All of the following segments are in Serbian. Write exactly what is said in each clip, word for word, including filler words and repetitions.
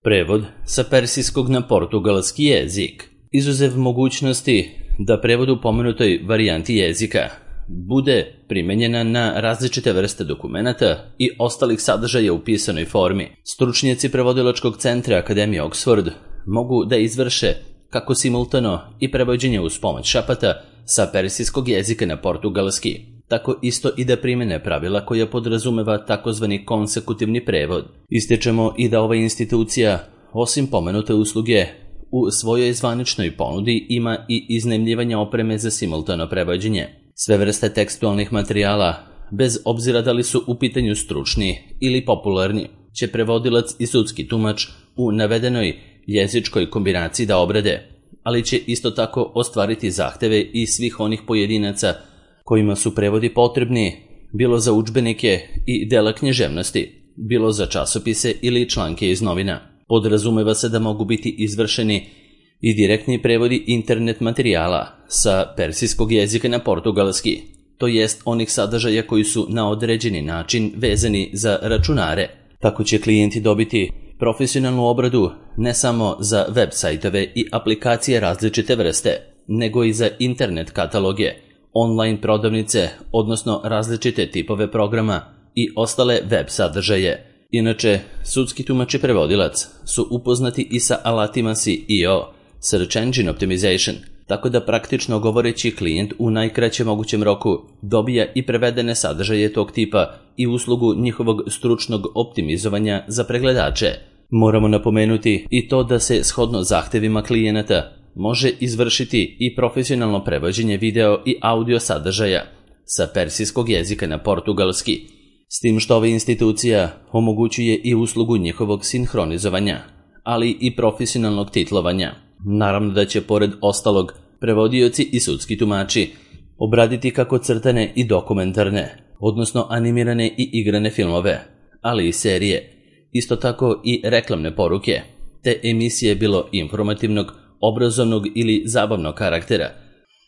Prevod sa persijskog na portugalski jezik. Izuzev mogućnosti da prevod u pomenutoj varijanti jezika bude primenjena na različite vrste dokumenata i ostalih sadržaja u pisanoj formi, stručnjaci prevodilačkog centra Akademije Oxford mogu da izvrše kako simultano i prevođenje uz pomoć šapata sa persijskog jezika na portugalski, tako isto i da primene pravila koja podrazumeva takozvani konsekutivni prevod. Ističemo i da ova institucija, osim pomenute usluge, u svojoj zvaničnoj ponudi ima i iznajmljivanje opreme za simultano prevođenje. Sve vrste tekstualnih materijala, bez obzira da li su u pitanju stručni ili popularni, će prevodilac i sudski tumač u navedenoj jezičkoj kombinaciji da obrade, ali će isto tako ostvariti zahteve i svih onih pojedinaca kojima su prevodi potrebni, bilo za udžbenike i dela književnosti, bilo za časopise ili članke iz novina. Podrazumeva se da mogu biti izvršeni i direktni prevodi internet materijala sa persijskog jezika na portugalski, to jest onih sadržaja koji su na određeni način vezani za računare. Tako će klijenti dobiti profesionalnu obradu ne samo za web sajtove i aplikacije različite vrste, nego i za internet kataloge, online prodavnice, odnosno različite tipove programa i ostale web sadržaje. Inače, sudski tumač i prevodilac su upoznati i sa alatima S E O, Search Engine Optimization, tako da praktično govoreći klijent u najkraćem mogućem roku dobija i prevedene sadržaje tog tipa i uslugu njihovog stručnog optimizovanja za pregledače. Moramo napomenuti i to da se shodno zahtevima klijenata može izvršiti i profesionalno prevođenje video i audio sadržaja sa persijskog jezika na portugalski, s tim što ova institucija omogućuje i uslugu njihovog sinhronizovanja, ali i profesionalnog titlovanja. Naravno da će pored ostalog prevodioci i sudski tumači obraditi kako crtane i dokumentarne, odnosno animirane i igrane filmove, ali i serije, isto tako i reklamne poruke, te emisije bilo informativnog, obrazovnog ili zabavnog karaktera,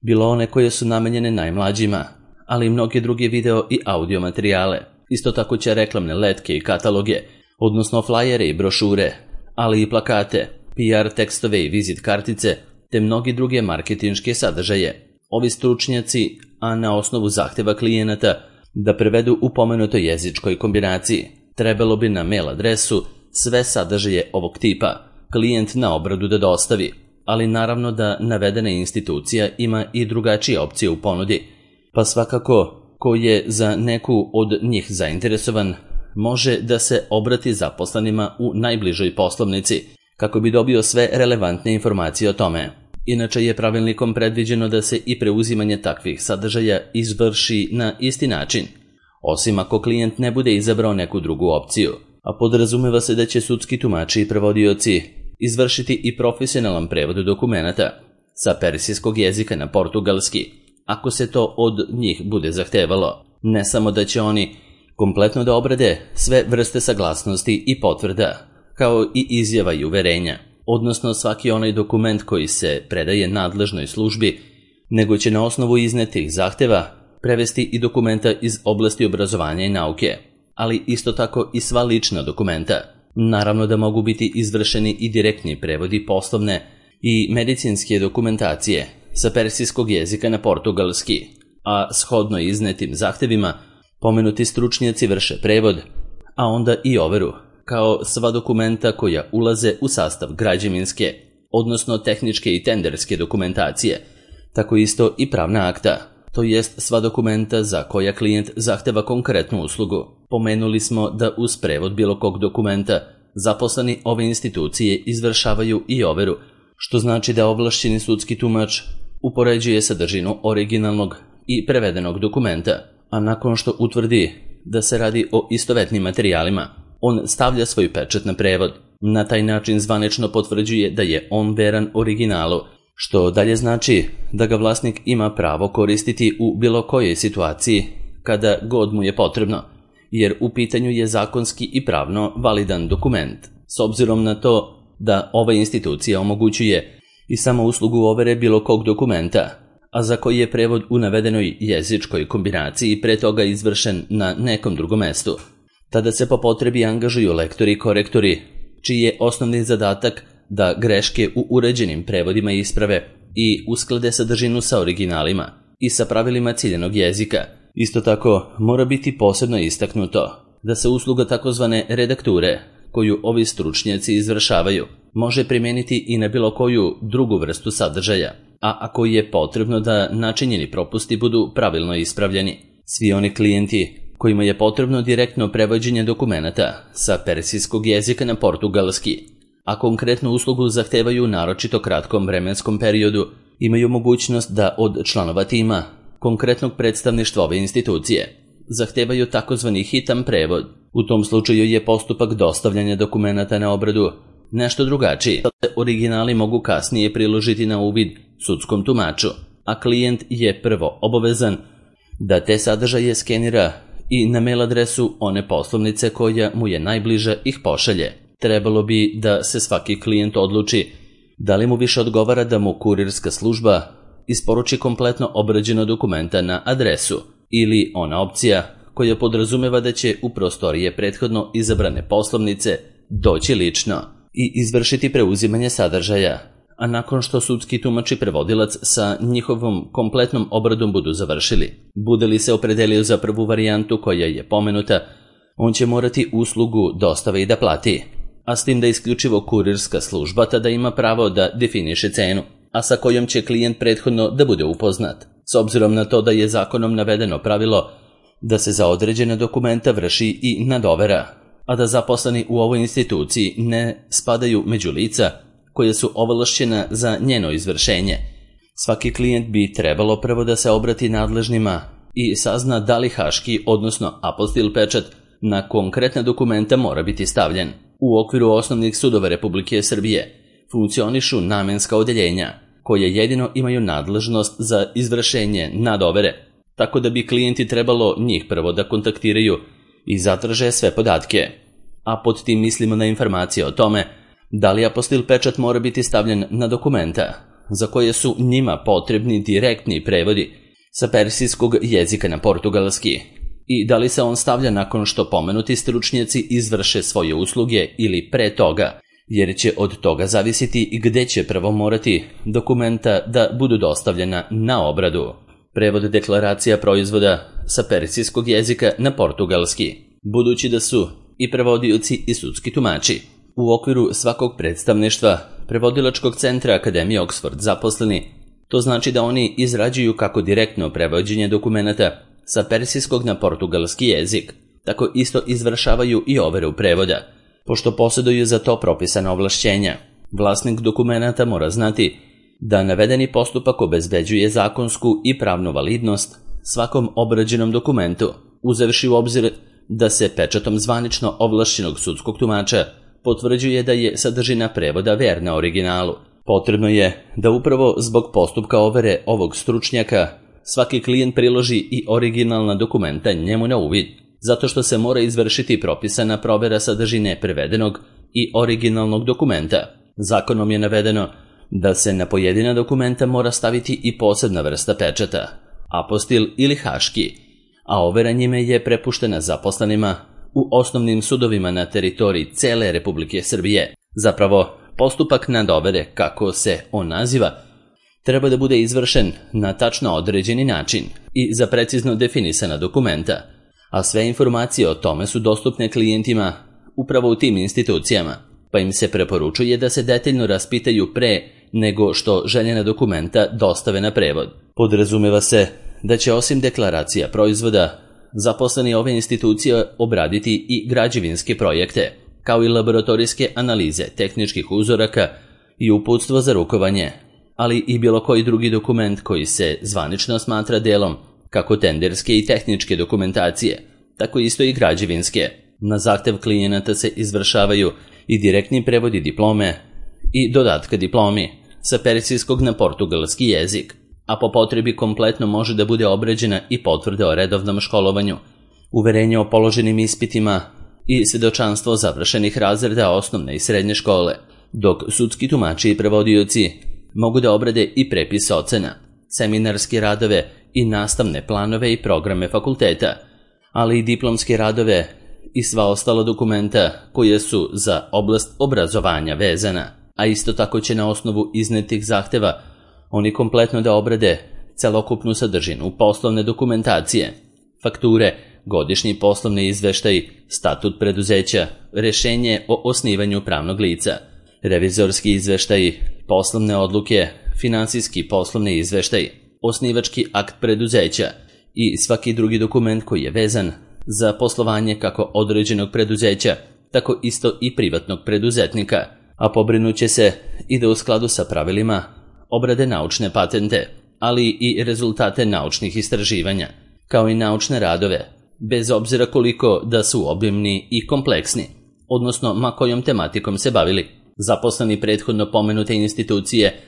bilo one koje su namenjene najmlađima, ali i mnoge druge video i audio materijale. Isto tako će reklamne letke i kataloge, odnosno flajere i brošure, ali i plakate, P R tekstove i vizit kartice, te mnogi druge marketinške sadržaje. Ovi stručnjaci, a na osnovu zahteva klijenata da prevedu u pomenutoj jezičkoj kombinaciji, trebalo bi na mail adresu sve sadržaje ovog tipa klijent na obradu da dostavi, ali naravno da navedena institucija ima i drugačije opcije u ponudi, pa svakako ko je za neku od njih zainteresovan može da se obrati zaposlenima u najbližoj poslovnici kako bi dobio sve relevantne informacije o tome. Inače je pravilnikom predviđeno da se i preuzimanje takvih sadržaja izvrši na isti način, osim ako klijent ne bude izabrao neku drugu opciju, a podrazumeva se da će sudski tumači i prevodioci izvršiti i profesionalan prevod dokumenata sa persijskog jezika na portugalski, ako se to od njih bude zahtevalo. Ne samo da će oni kompletno da obrade sve vrste saglasnosti i potvrda, kao i izjava i uverenja, odnosno svaki onaj dokument koji se predaje nadležnoj službi, nego će na osnovu iznetih zahteva prevesti i dokumenta iz oblasti obrazovanja i nauke, ali isto tako i sva lična dokumenta. Naravno da mogu biti izvršeni i direktni prevodi poslovne i medicinske dokumentacije sa persijskog jezika na portugalski, a shodno iznetim zahtevima pomenuti stručnjaci vrše prevod, a onda i overu, kao sva dokumenta koja ulaze u sastav građevinske, odnosno tehničke i tenderske dokumentacije, tako isto i pravna akta, to jest sva dokumenta za koja klijent zahteva konkretnu uslugu. Pomenuli smo da uz prevod bilo kog dokumenta zaposleni ove institucije izvršavaju i overu, što znači da ovlašćeni sudski tumač upoređuje sadržinu originalnog i prevedenog dokumenta, a nakon što utvrdi da se radi o istovetnim materijalima, on stavlja svoj pečat na prevod. Na taj način zvanično potvrđuje da je on veran originalu, što dalje znači da ga vlasnik ima pravo koristiti u bilo kojoj situaciji kada god mu je potrebno, jer u pitanju je zakonski i pravno validan dokument, s obzirom na to da ova institucija omogućuje i samo uslugu overe bilo kog dokumenta, a za koji je prevod u navedenoj jezičkoj kombinaciji pre toga izvršen na nekom drugom mestu. Tada se po potrebi angažuju lektori i korektori čiji je osnovni zadatak da greške u uređenim prevodima isprave i usklade sadržinu sa originalima i sa pravilima ciljanog jezika. Isto tako, mora biti posebno istaknuto da se usluga takozvane redakture, koju ovi stručnjaci izvršavaju, može primijeniti i na bilo koju drugu vrstu sadržaja, a ako je potrebno da načinjeni propusti budu pravilno ispravljeni. Svi oni klijenti kojima je potrebno direktno prevođenje dokumenata sa persijskog jezika na portugalski, a konkretnu uslugu zahtevaju naročito kratkom vremenskom periodu, imaju mogućnost da od članova tima konkretnog predstavništva ove institucije zahtevaju takozvani hitan prevod. U tom slučaju je postupak dostavljanja dokumenata na obradu nešto drugačiji. Originali mogu kasnije priložiti na uvid sudskom tumaču, a klijent je prvo obavezan da te sadržaje skenira i na mail adresu one poslovnice koja mu je najbliža ih pošalje. Trebalo bi da se svaki klijent odluči da li mu više odgovara da mu kurirska služba isporuči kompletno obrađeno dokumenta na adresu ili ona opcija koja podrazumeva da će u prostorije prethodno izabrane poslovnice doći lično i izvršiti preuzimanje sadržaja, a nakon što sudski tumač i prevodilac sa njihovom kompletnom obradom budu završili. Bude li se opredelio za prvu varijantu koja je pomenuta, on će morati uslugu dostave i da plati, a s tim da isključivo kurirska služba tada ima pravo da definiše cenu, a sa kojom će klijent prethodno da bude upoznat, s obzirom na to da je zakonom navedeno pravilo da se za određene dokumenta vrši i nadovera, a da zaposleni u ovoj instituciji ne spadaju među lica koje su ovlašćena za njeno izvršenje. Svaki klijent bi trebalo prvo da se obrati nadležnima i sazna da li haški, odnosno apostil pečat na konkretna dokumenta mora biti stavljen. U okviru osnovnih sudova Republike Srbije funkcionišu namenska odeljenja, koje jedino imaju nadležnost za izvršenje nadovere, tako da bi klijenti trebalo njih prvo da kontaktiraju i zatraže sve podatke. A pod tim mislimo na informacije o tome da li apostil pečat mora biti stavljen na dokumenta za koje su njima potrebni direktni prevodi sa persijskog jezika na portugalski i da li se on stavlja nakon što pomenuti stručnjaci izvrše svoje usluge ili pre toga, jer će od toga zavisiti gde će prvo morati dokumenta da budu dostavljena na obradu. Prevod deklaracija proizvoda sa persijskog jezika na portugalski, budući da su i prevodioci i sudski tumači u okviru svakog predstavništva prevodilačkog centra Akademije Oxford zaposleni, to znači da oni izrađuju kako direktno prevođenje dokumenata sa persijskog na portugalski jezik, tako isto izvršavaju i overu prevoda. Pošto posjeduju za to propisana ovlašćenja, vlasnik dokumenata mora znati da navedeni postupak obezbeđuje zakonsku i pravnu validnost svakom obrađenom dokumentu, uzevši u obzir da se pečatom zvanično ovlašćenog sudskog tumača potvrđuje da je sadržina prevoda verna originalu. Potrebno je da upravo zbog postupka overe ovog stručnjaka svaki klijent priloži i originalna dokumenta njemu na uvid, zato što se mora izvršiti propisana provera sadržine prevedenog i originalnog dokumenta. Zakonom je navedeno da se na pojedina dokumenta mora staviti i posebna vrsta pečata, apostil ili haški, a overa njime je prepuštena zaposlenima u osnovnim sudovima na teritoriji cele Republike Srbije. Zapravo, postupak nadovere, kako se on naziva, treba da bude izvršen na tačno određeni način i za precizno definisana dokumenta, a sve informacije o tome su dostupne klijentima upravo u tim institucijama, pa im se preporučuje da se detaljno raspitaju pre nego što željena dokumenta dostave na prevod. Podrazumeva se da će osim deklaracija proizvoda zaposleni ove institucije obraditi i građevinske projekte, kao i laboratorijske analize tehničkih uzoraka i uputstvo za rukovanje, ali i bilo koji drugi dokument koji se zvanično smatra delom kako tenderske i tehničke dokumentacije, tako isto i građevinske. Na zahtev klijenata se izvršavaju i direktni prevodi diplome i dodatka diplomi sa persijskog na portugalski jezik, a po potrebi kompletno može da bude obrađena i potvrda o redovnom školovanju, uverenje o položenim ispitima i svedočanstvo završenih razreda osnovne i srednje škole, dok sudski tumači i prevodioci mogu da obrade i prepis ocena, seminarske radove i nastavne planove i programe fakulteta, ali i diplomske radove i sva ostala dokumenta koje su za oblast obrazovanja vezana, a isto tako će na osnovu iznetih zahteva oni kompletno da obrade celokupnu sadržinu poslovne dokumentacije, fakture, godišnji poslovni izveštaj, statut preduzeća, rešenje o osnivanju pravnog lica, revizorski izveštaj, poslovne odluke, finansijski poslovni izveštaj, osnivački akt preduzeća i svaki drugi dokument koji je vezan za poslovanje kako određenog preduzeća, tako isto i privatnog preduzetnika, a pobrinuće se i da u skladu sa pravilima obrade naučne patente, ali i rezultate naučnih istraživanja, kao i naučne radove, bez obzira koliko da su obimni i kompleksni, odnosno ma kojom tematikom se bavili. Zaposleni prethodno pomenute institucije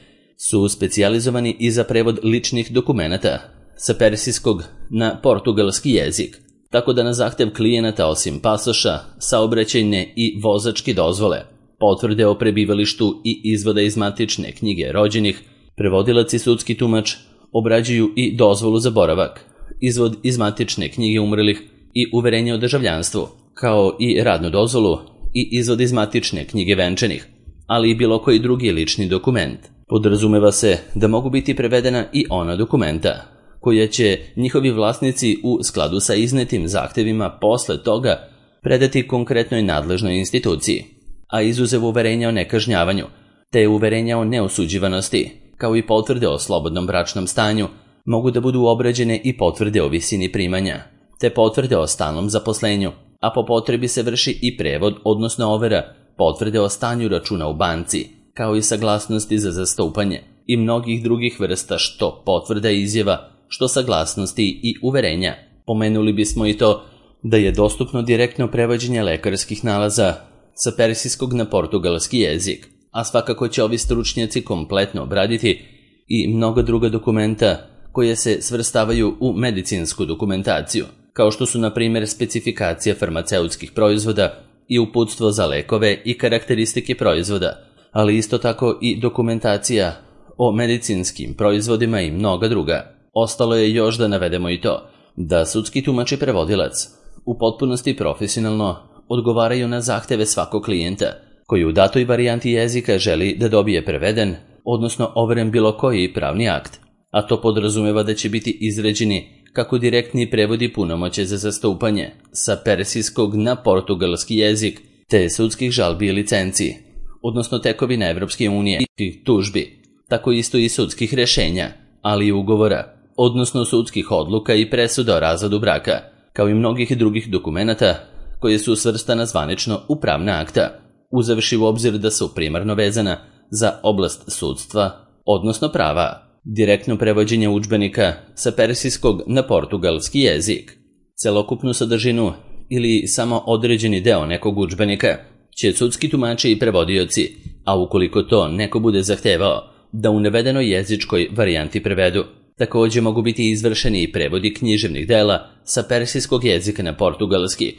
su specijalizovani i za prevod ličnih dokumenata sa persijskog na portugalski jezik, tako da na zahtev klijenata osim pasoša, saobraćajne i vozačke dozvole, potvrde o prebivalištu i izvoda iz matične knjige rođenih, prevodilac i sudski tumač obrađuju i dozvolu za boravak, izvod iz matične knjige umrlih i uverenje o državljanstvu, kao i radnu dozvolu i izvod iz matične knjige venčanih, ali i bilo koji drugi lični dokument. Podrazumeva se da mogu biti prevedena i ona dokumenta koja će njihovi vlasnici u skladu sa iznetim zahtevima posle toga predati konkretnoj nadležnoj instituciji, a izuzev uverenja o nekažnjavanju, te uverenja o neosuđivanosti, kao i potvrde o slobodnom bračnom stanju, mogu da budu obrađene i potvrde o visini primanja, te potvrde o stalnom zaposlenju, a po potrebi se vrši i prevod, odnosno overa potvrde o stanju računa u banci, kao i saglasnosti za zastupanje i mnogih drugih vrsta što potvrda izjava, što saglasnosti i uverenja. Pomenuli bismo i to da je dostupno direktno prevođenje lekarskih nalaza sa persijskog na portugalski jezik, a svakako će ovi stručnjaci kompletno obraditi i mnoga druga dokumenta koje se svrstavaju u medicinsku dokumentaciju, kao što su na primjer specifikacija farmaceutskih proizvoda i uputstvo za lekove i karakteristike proizvoda, ali isto tako i dokumentacija o medicinskim proizvodima i mnoga druga. Ostalo je još da navedemo i to da sudski tumač i prevodilac u potpunosti profesionalno odgovaraju na zahteve svakog klijenta koji u datoj varijanti jezika želi da dobije preveden, odnosno overen bilo koji pravni akt, a to podrazumeva da će biti izrađeni kako direktni prevodi punomoće za zastupanje sa persijskog na portugalski jezik, te sudskih žalbi i licenci, odnosno tekovina Evropske unije i tužbi, tako isto i sudskih rešenja, ali i ugovora, odnosno sudskih odluka i presuda o razvodu braka, kao i mnogih drugih dokumenata koje su svrstana zvanično u pravna akta, uzevši u obzir da su primarno vezana za oblast sudstva, odnosno prava. Direktno prevođenje udžbenika sa persijskog na portugalski jezik. Celokupnu sadržinu ili samo određeni deo nekog udžbenika će sudski tumači i prevodioci, a ukoliko to neko bude zahtevao, da u navedenoj jezičkoj varijanti prevedu. Također mogu biti izvršeni i prevodi književnih dela sa persijskog jezika na portugalski,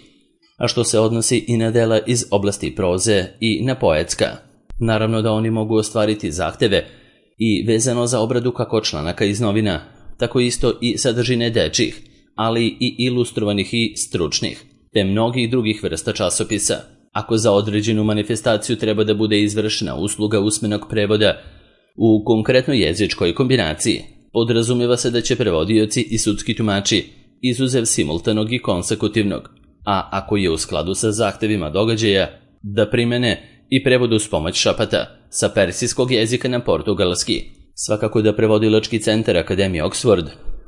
a što se odnosi i na dela iz oblasti proze i na poetska. Naravno da oni mogu ostvariti zahteve i vezano za obradu kako članaka iz novina, tako isto i sadržine dečjih, ali i ilustrovanih i stručnih, te mnogih drugih vrsta časopisa. Ako za određenu manifestaciju treba da bude izvršena usluga usmenog prevoda u konkretnoj jezičkoj kombinaciji, podrazumijeva se da će prevodioci i sudski tumači, izuzev simultanog i konsekutivnog, a ako je u skladu sa zahtevima događaja, da primene i prevodu s pomoć šapata sa persijskog jezika na portugalski. Svakako da prevodilački centar Akademije Oxford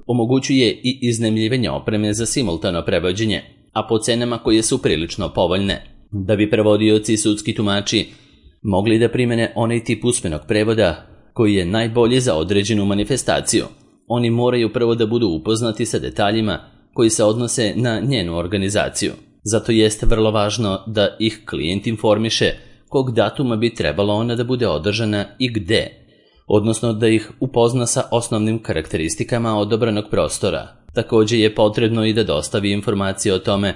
omogućuje i iznajmljivanje opreme za simultano prevođenje, a po cenama koje su prilično povoljne, da bi prevodioci i sudski tumači mogli da primene onaj tip usmenog prevoda koji je najbolji za određenu manifestaciju. Oni moraju prvo da budu upoznati sa detaljima koji se odnose na njenu organizaciju. Zato jeste vrlo važno da ih klijent informiše kog datuma bi trebalo ona da bude održana i gde, odnosno da ih upozna sa osnovnim karakteristikama odabranog prostora. Također je potrebno i da dostavi informacije o tome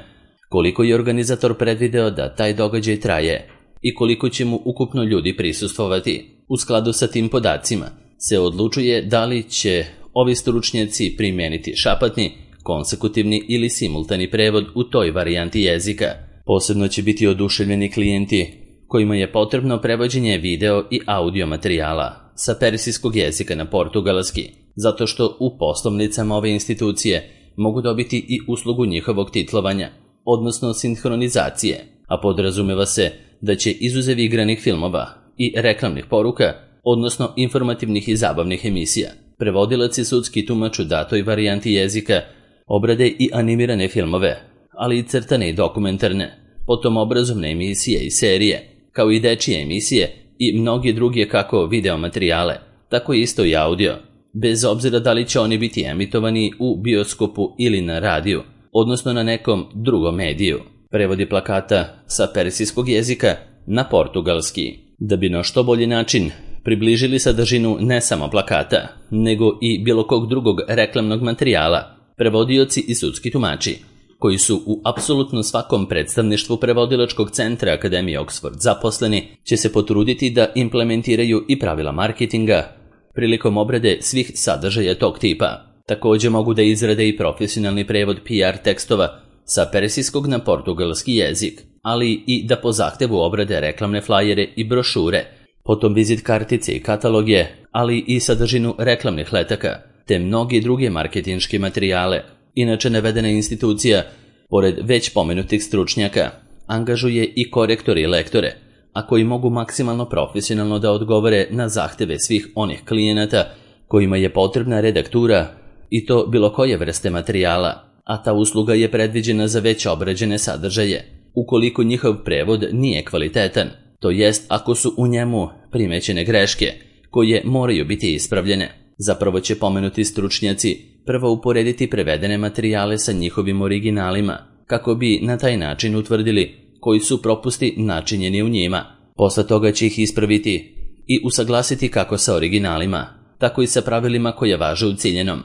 koliko je organizator predvideo da taj događaj traje i koliko će mu ukupno ljudi prisustvovati. U skladu sa tim podacima se odlučuje da li će ovi stručnjaci primijeniti šapatni, konsekutivni ili simultani prevod u toj varijanti jezika. Posebno će biti oduševljeni klijenti kojima je potrebno prevođenje video i audio materijala sa persijskog jezika na portugalski, zato što u poslovnicama ove institucije mogu dobiti i uslugu njihovog titlovanja, odnosno sinhronizacije, a podrazumeva se da će izuzev igranih filmova i reklamnih poruka, odnosno informativnih i zabavnih emisija, prevodilac i sudski tumač u datoj varijanti jezika obrade i animirane filmove, ali i crtane i dokumentarne, potom obrazovne emisije i serije, kao i dečije emisije i mnogi druge kako video materijale, tako isto i audio, bez obzira da li će oni biti emitovani u bioskopu ili na radiju, odnosno na nekom drugom mediju. Prevodi plakata sa persijskog jezika na portugalski, da bi na što bolji način približili sadržinu ne samo plakata, nego i bilo kog drugog reklamnog materijala. Prevodioci i sudski tumači, koji su u apsolutno svakom predstavništvu prevodilačkog centra Akademije Oxford zaposleni, će se potruditi da implementiraju i pravila marketinga prilikom obrade svih sadržaja tog tipa. Također mogu da izrade i profesionalni prevod P R tekstova sa persijskog na portugalski jezik, ali i da po zahtevu obrade reklamne flajere i brošure, potom vizit kartice i kataloge, ali i sadržinu reklamnih letaka, te mnogi druge marketinške materijale. Inače, navedena institucija, pored već pomenutih stručnjaka, angažuje i korektore i lektore, a koji mogu maksimalno profesionalno da odgovore na zahteve svih onih klijenata kojima je potrebna redaktura i to bilo koje vrste materijala, a ta usluga je predviđena za već obrađene sadržaje, ukoliko njihov prevod nije kvalitetan, to jest ako su u njemu primećene greške, koje moraju biti ispravljene. Zapravo će pomenuti stručnjaci prvo uporediti prevedene materijale sa njihovim originalima, kako bi na taj način utvrdili koji su propusti načinjeni u njima. Posle toga će ih ispraviti i usaglasiti kako sa originalima, tako i sa pravilima koje važe u ciljenom,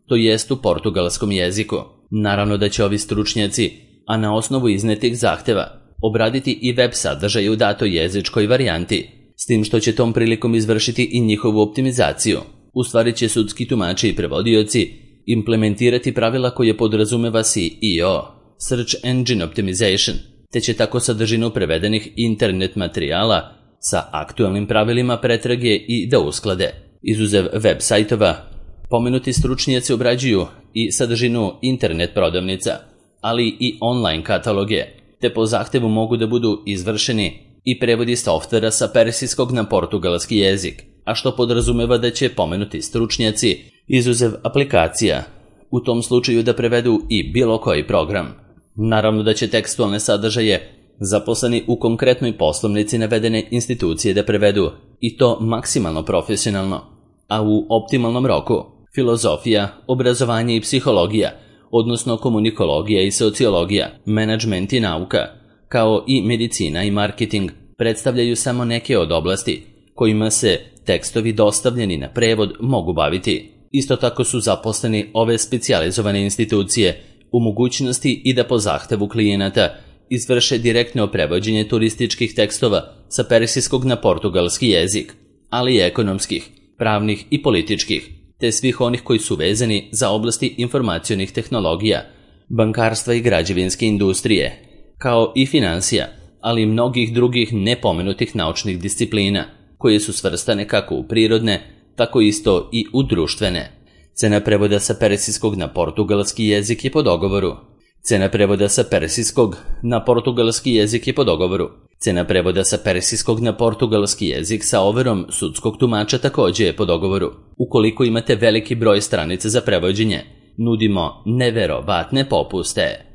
to jest u portugalskom jeziku. Naravno da će ovi stručnjaci, a na osnovu iznetih zahteva, obraditi i web sadržaj u datoj jezičkoj varijanti, s tim što će tom prilikom izvršiti i njihovu optimizaciju. U stvari će sudski tumači i prevodioci implementirati pravila koje podrazumeva S E O, Search Engine Optimization, te će tako sadržinu prevedenih internet materijala sa aktualnim pravilima pretrage i da usklade. Izuzev web sajtova, pomenuti stručnjaci obrađuju i sadržinu internet prodavnica, ali i online kataloge, te po zahtevu mogu da budu izvršeni i prevodi softvera sa persijskog na portugalski jezik, a što podrazumeva da će pomenuti stručnjaci, izuzev aplikacija, u tom slučaju da prevedu i bilo koji program. Naravno da će tekstualne sadržaje zaposleni u konkretnoj poslovnici navedene institucije da prevedu, i to maksimalno profesionalno, a u optimalnom roku. Filozofija, obrazovanje i psihologija, odnosno komunikologija i sociologija, menadžment i nauka, kao i medicina i marketing, predstavljaju samo neke od oblasti kojima se tekstovi dostavljeni na prevod mogu baviti. Isto tako su zaposleni ove specijalizovane institucije u mogućnosti i da po zahtevu klijenata izvrše direktno prevođenje turističkih tekstova sa persijskog na portugalski jezik, ali i ekonomskih, pravnih i političkih, te svih onih koji su vezani za oblasti informacionih tehnologija, bankarstva i građevinske industrije, kao i finansija, ali i mnogih drugih nepomenutih naučnih disciplina, koje su svrstane kako u prirodne, tako isto i u društvene. Cena prevoda sa persijskog na portugalski jezik je po dogovoru. Cena prevoda sa persijskog na portugalski jezik je po dogovoru. Cena prevoda sa persijskog na portugalski jezik sa overom sudskog tumača također je po dogovoru. Ukoliko imate veliki broj stranica za prevođenje, nudimo neverovatne popuste.